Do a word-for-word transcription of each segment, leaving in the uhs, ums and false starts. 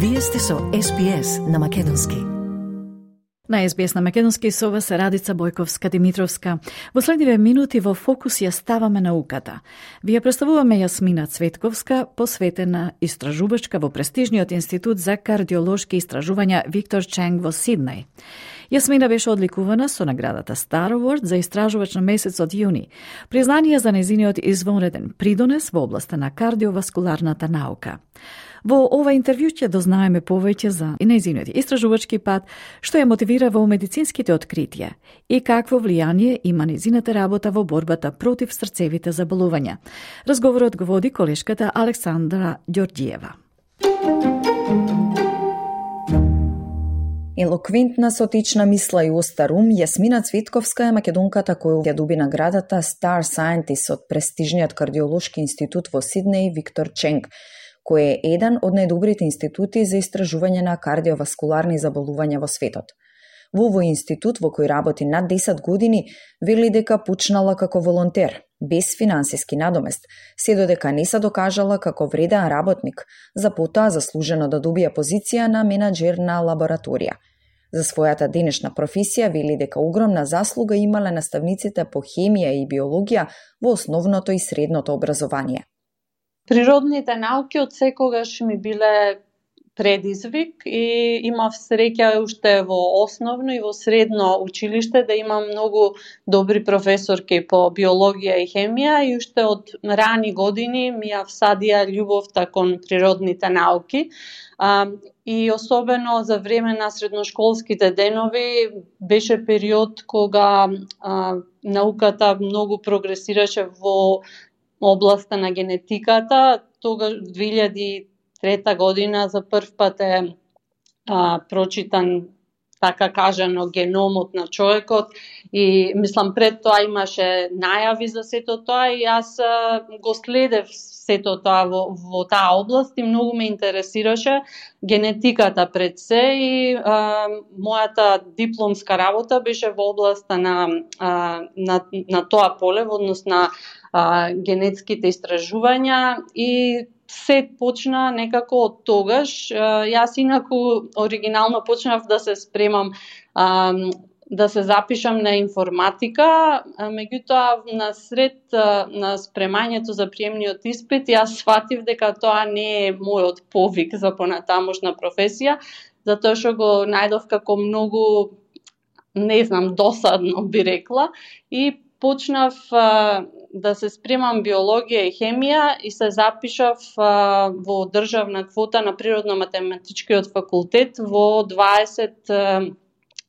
Вие сте со Ес Би Ес на Македонски. На Ес Би Ес на Македонски со вас Радица Бојковска-Димитровска. Во следниве минути во фокус ја ставаме науката. Ви ја представуваме Јасмина Цветковска, посветена истражувачка во престижниот институт за кардиолошки истражувања Виктор Ченг во Сиднеј. Јасмина беше одликувана со наградата Star Award за истражувач на месецот јуни, признание за нејзиниот извонреден придонес во областа на кардиоваскуларната наука. Во ова интервју ќе дознаеме повеќе за нејзиниот истражувачки пат, што ја мотивира во медицинските откритија и какво влијание има нејзината работа во борбата против срцевите заболувања. Разговорот го води колешката Александра Ѓорѓиева. Елоквентна, со течна мисла и остар ум, Јасмина Цветковска е македонката која ја доби наградата Star Scientist од престижниот кардиолошки институт во Сиднеј Виктор Ченг, кој е еден од најдобрите институти за истражување на кардиоваскуларни заболувања во светот. Во овој институт, во кој работи над десет години, вели дека почнала како волонтер, без финансиски надомест, се додека не се докажала како вреден работник, за потоа заслужено да добија позиција на менаџер на лабораторија. За својата денешна професија вели дека огромна заслуга имале наставниците по хемија и биологија во основното и средното образование. Природните науки од секогаш ми биле предизвик и имав среќа уште во основно и во средно училиште да имам многу добри професорки по биологија и хемија и уште од рани години ми ја всадија љубовта кон природните науки. А, и особено за време на средношколските денови беше период кога а, науката многу прогресираше во областа на генетиката. Тогаш две илјади и трета година за прв пат е а, прочитан, така кажано, геномот на човекот и мислам пред тоа имаше најави за сето тоа и јас а, го следев сето тоа во, во таа област и многу ме интересираше генетиката пред се и а, мојата дипломска работа беше во областа на, а, на, на тоа поле, во однос на а, генетските истражувања и се почна некако од тогаш. Јас инаку оригинално почнав да се спремам да се запишам на информатика, меѓутоа на сред на спремањето за приемниот испит јас сватив дека тоа не е мојот повик за понатамошна професија, затоа што го најдов како многу, не знам, досадно би рекла и почнав да се спремам биологија и хемија и се запишав а, во државна квота на природно-математичкиот факултет во дваесет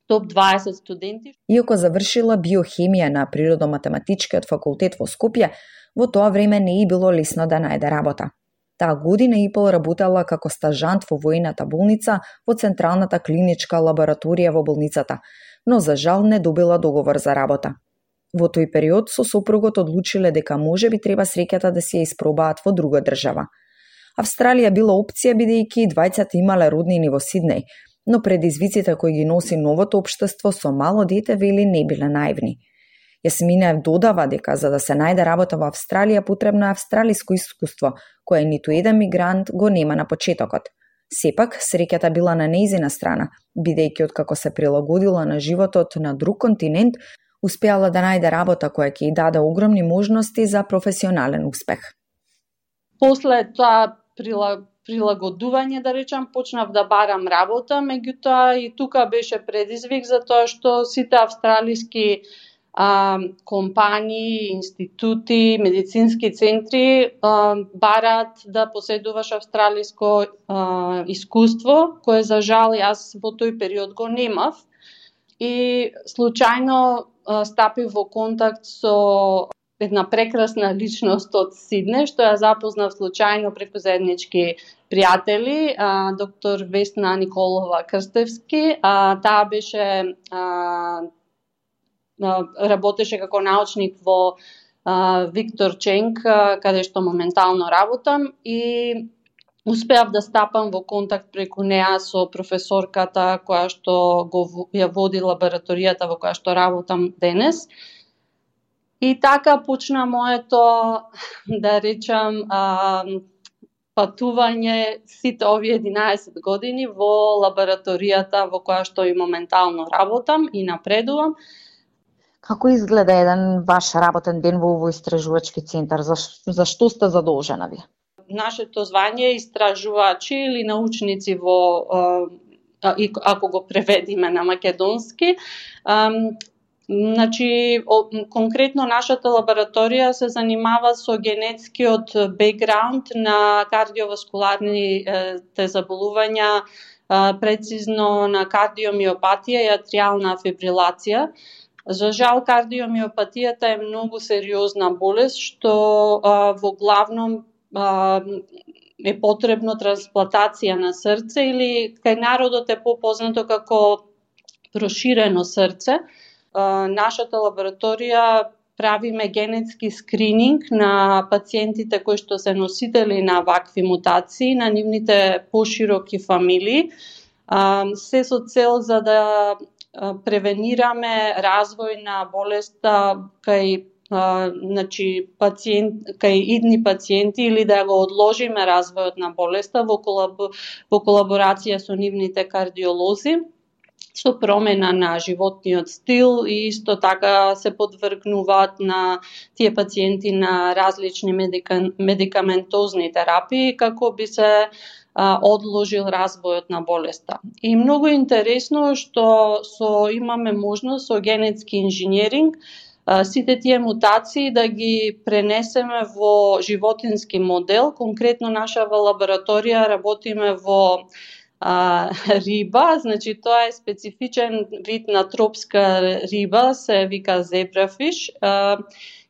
топ дваесет студенти. Иако завршила биохемија на природно-математичкиот факултет во Скопје, во тоа време не е било лесно да најде работа. Таа година и пол работела како стажант во воената болница во Централната клиничка лабораторија во болницата, но за жал не добила договор за работа. Во тој период со сопругот одлучиле дека може би треба среќата да се ја испробаат во друга држава. Австралија била опција бидејќи двајцата имале роднини во Сиднеј, но предизвиците кои ги носи новото општество со мало дете вели не биле наивни. Јасмина додава дека за да се најде работа во Австралија потребно е австралиско искуство, кое ниту еден мигрант го нема на почетокот. Сепак, среќата била на нејзина страна, бидејќи откако се прилагодила на животот на друг континент, успеала да најде работа која ќе ја даде огромни можности за професионален успех. После тоа прилагодување, да речам, почнав да барам работа, меѓутоа и тука беше предизвик затоа што сите австралиски а, компании, институти, медицински центри а, бараат да поседуваш австралиско а, искуство, кое за жал јас во тој период го немав. И случајно стапив во контакт со една прекрасна личност од Сиднеј, што ја запознав случајно преку заеднички пријатели, доктор Весна Николова Крстевски. Таа беше работеше како научник во Виктор Ченг, каде што моментално работам и успеав да стапам во контакт преку неа со професорката која што го ја води лабораторијата во која што работам денес. И така почна моето, да речам, патување сите овие единаесет години во лабораторијата во која што и моментално работам и напредувам. Како изгледа еден ваш работен ден во овој истражувачки центар? За, за што сте задолжена вие? Нашето звање е истражувачи или научници во, ако го преведиме на македонски. Значи, конкретно нашата лабораторија се занимава со генетскиот бекграунд на кардиоваскуларните заболувања, прецизно на кардиомиопатија и атриална фибрилација. За жал, кардиомиопатијата е многу сериозна болест, што во главном е потребно трансплантација на срце или кај народот е попознато како проширено срце. Нашата лабораторија правиме генетски скрининг на пациентите кои што се носители на вакви мутации, на нивните пошироки фамилии, се со цел за да превенираме развој на болеста кај значи пациент кај идни пациенти или да го одложиме развојот на болеста во колаб... во колаборација со нивните кардиолози, со промена на животниот стил и исто така се подвргнуваат на тие пациенти на различни медика... медикаментозни терапии како би се а, одложил развојот на болеста. И многу интересно што со имаме можност со генетски инженеринг сите тие мутации да ги пренесеме во животински модел. Конкретно наша во лабораторија работиме во а, риба, значи тоа е специфичен вид на тропска риба, се вика зебрафиш, а,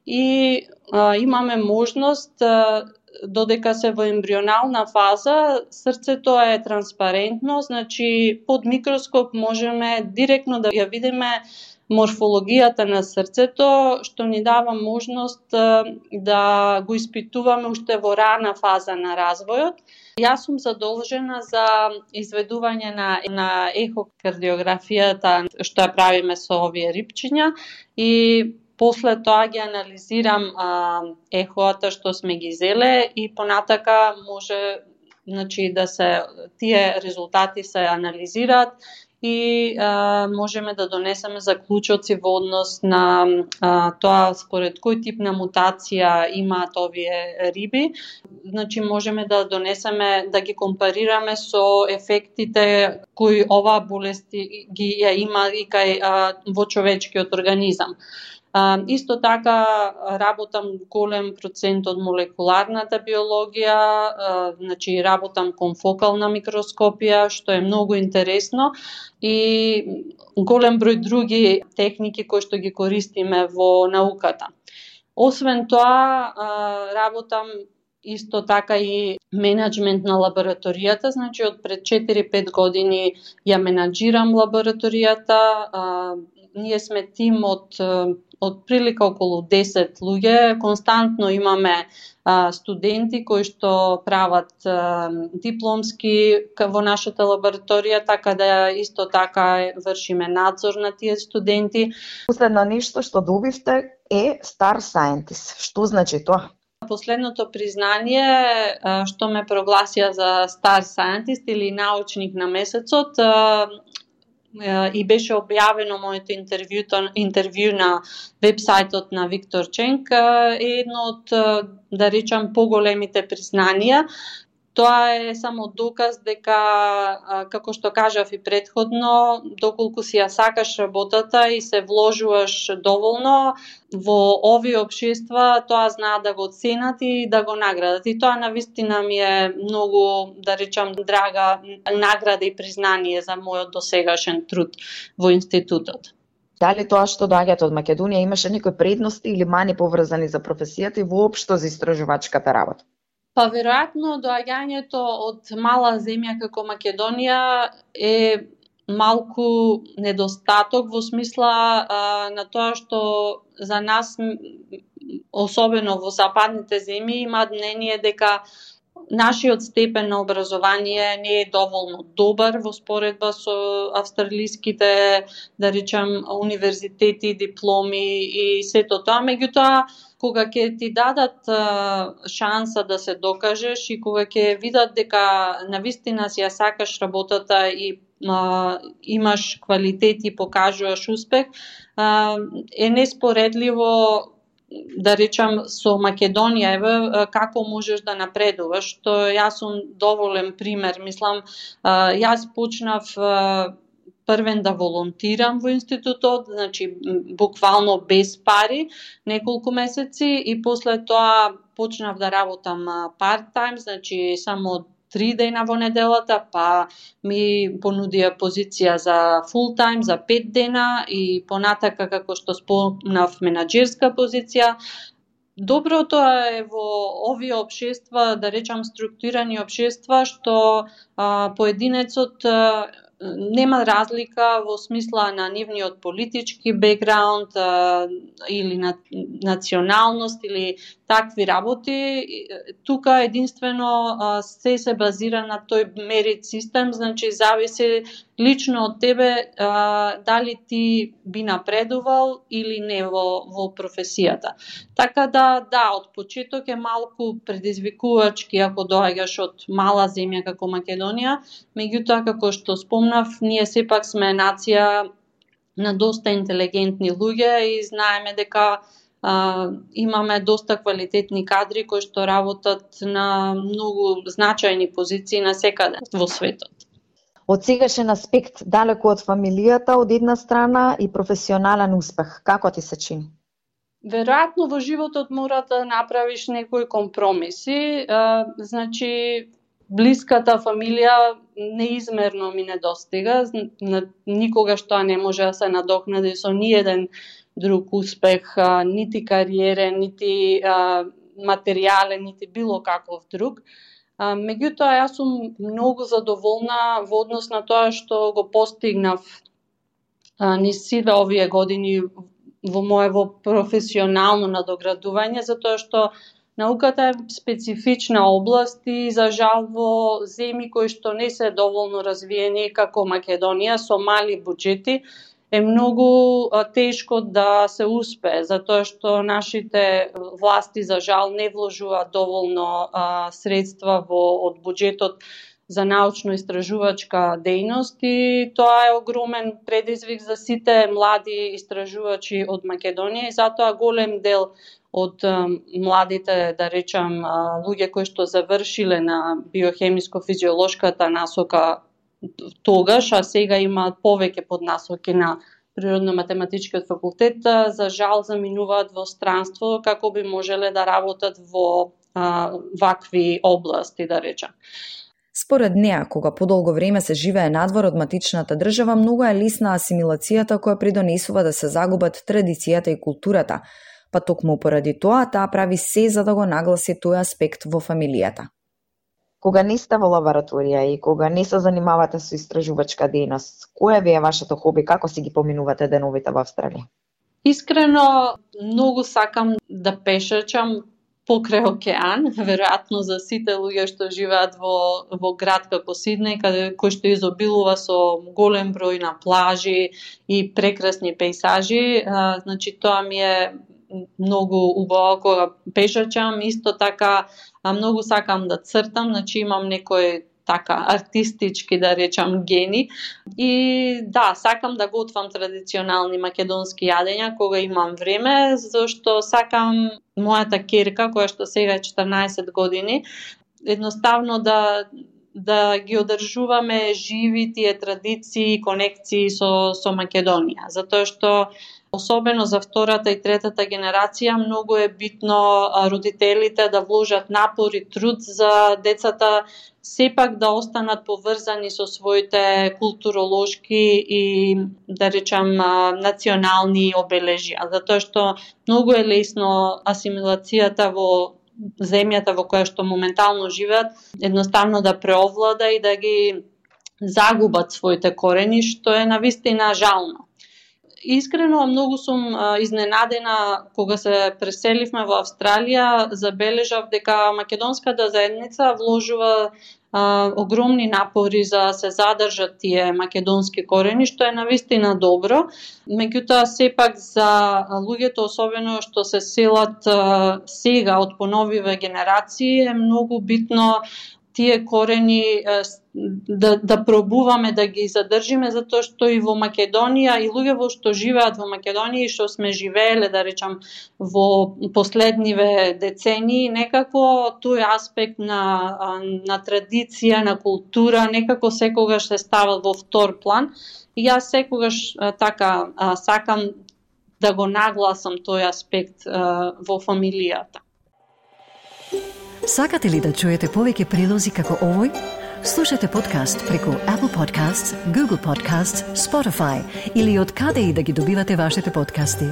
и а, имаме можност а, додека се во ембрионална фаза, срцето е транспарентно, значи под микроскоп можеме директно да ја видиме морфологијата на срцето, што ни дава можност да го испитуваме уште во рана фаза на развојот. Јас сум задолжена за изведување на, на ехокардиографијата, што ја правиме со овие рибчиња, и после тоа ги анализирам а, ехоата што сме ги зеле и понатака може, значи, да се тие резултати се анализираат и а, можеме да донесеме заклучоци во однос на а, тоа според кој тип на мутација имаат овие риби. Значи можеме да донесеме, да ги компарираме со ефектите кои оваа болест ги ја има и кај а, во човечкиот организам. А, исто така работам голем процент од молекуларната биологија, а, значи работам конфокална микроскопија, што е многу интересно, и голем број други техники кои што ги користиме во науката. Освен тоа, а, работам исто така и менеджмент на лабораторијата, значи од пред четири-пет години ја менаџирам лабораторијата. А, ние сме тим од од прилика околу десет луѓе, константно имаме а, студенти кои што прават а, дипломски во нашата лабораторија, така да исто така вршиме надзор на тие студенти. Последно нешто што добивте е Star Scientist. Што значи тоа? Последното признание а, што ме прогласија за Star Scientist или научник на месецот, а, и беше објавено моето интервју, интервју на вебсајтот на Виктор Ченк, е едно од, да речам, поголемите признанија. Тоа е само доказ дека, како што кажав и претходно, доколку си ја сакаш работата и се вложуваш доволно во овие општества, тоа знаат да го оценат и да го наградат. И тоа навистина ми е многу, да речам, драга награда и признание за мојот досегашен труд во институтот. Дали тоа што доаѓате од Македонија имаше некои предности или мани поврзани за професијата и воопшто за истражувачката работа? Па веројатно доаѓањето од мала земја како Македонија е малку недостаток во смисла а, на тоа што за нас, особено во западните земји, имаат мнение дека нашиот степен на образование не е доволно добар во споредба со австралиските, да речем, универзитети, дипломи и сето тоа. Меѓутоа, кога ќе ти дадат а, шанса да се докажеш и кога ќе видат дека навистина си ја сакаш работата и а, имаш квалитет и покажуваш успех, а, е неспоредливо, да речам, со Македонија, еве, како можеш да напредуваш, што јас сум доволен пример. Мислам, јас почнав првен да волонтирам во институтот, значи буквално без пари, неколку месеци, и после тоа почнав да работам part-time, значи само три дена во неделата, па ми понудија позиција за full time, за пет дена и понатака, како што спомнав, менаџерска позиција. Доброто е во овие општества, да речам структурирани општества, што а, поединецот а, нема разлика во смисла на нивниот политички бекграунд а, или на националност или такви работи. Тука единствено а, се се базира на тој мерит систем, значи зависи лично од тебе а, дали ти би напредувал или не во, во професијата. Така да, да, од почеток е малку предизвикувачки ако доаѓаш од мала земја како Македонија, меѓутоа, како што спомнав, ние сепак сме нација на доста интелигентни луѓе и знаеме дека а, имаме доста квалитетни кадри кои што работат на многу значајни позиции на секаде во светот. Од сегашен аспект, далеку од фамилијата од една страна и професионален успех, како ти се чини? Веројатно во животот мора да направиш некои компромиси, а, значи блиската фамилија неизмерно ми недостига, никогаш тоа не може да се надокнади со ниеден друг успех, а, нити кариерен, нити а, материјален, нити било каков друг. А, меѓутоа, јас сум многу задоволна во однос на тоа што го постигнав а, низ сите овие години во моево професионално надоградување, затоа што науката е специфична област и за жал во земји кои што не се доволно развиени како Македонија со мали буџети е многу а, тешко да се успее, затоа што нашите власти за жал не вложуваат доволно а, средства во од буџетот за научно-истражувачка дејност и тоа е огромен предизвик за сите млади истражувачи од Македонија и затоа голем дел од а, младите, да речам, а, луѓе кои што завршиле на биохемиско-физиолошката насока тогаш, а сега имаат повеќе поднасоки на природно-математичкиот факултет, за жал заминуваат во странство како би можеле да работат во а, вакви области, да речам. Според неа, кога подолго време се живее надвор од матичната држава, многу е лесна асимилацијата која придонесува да се загубат традицијата и културата, па токму поради тоа таа прави се за да го нагласи тој аспект во фамилијата. Кога не сте во лабораторија и кога не се занимавате со истражувачка дејност, кој ви е вашето хоби, како си ги поминувате деновите во Австралија? Искрено, многу сакам да пешачам покрај океан, веројатно за сите луѓе што живеат во, во град како Сиднеј, каде кој што изобилува со голем број на плажи и прекрасни пејсажи, а, значи тоа ми е многу убаво кога пешачам. Исто така а, многу сакам да цртам, значи имам некој така артистички, да речам, гени. И да, сакам да готвам традиционални македонски јадења кога имам време, зашто сакам мојата ќерка, која што сега е четрнаесет години, едноставно да да ги одржуваме живи тие традиции и конекции со со Македонија, затоа што особено за втората и третата генерација многу е битно родителите да вложат напор и труд за децата сепак да останат поврзани со своите културолошки и, да речам, национални обележја, затоа што многу е лесно асимилацијата во земјата во која што моментално живеат едноставно да преовлада и да ги загубат своите корени, што е навистина жално. искрено многу сум изненадена кога се преселивме во Австралија, забележав дека македонската заедница вложува а, огромни напори за се задржат тие македонски корени, што е навистина добро. Меѓутоа сепак за луѓето, особено што се селат а, сега од поновиве генерации, е многу битно тие корени да, да пробуваме да ги задржиме, затоа што и во Македонија, и луѓе во што живеат во Македонија и што сме живееле, да речам, во последниве децении, некако тој аспект на, на традиција, на култура, некако секогаш се става во втор план. И јас секогаш така сакам да го нагласам тој аспект во фамилијата. Сакате ли да чуете повеќе прилози како овој? Слушате подкаст преку Apple Podcasts, Google Podcasts, Spotify или од каде и да ги добивате вашите подкасти.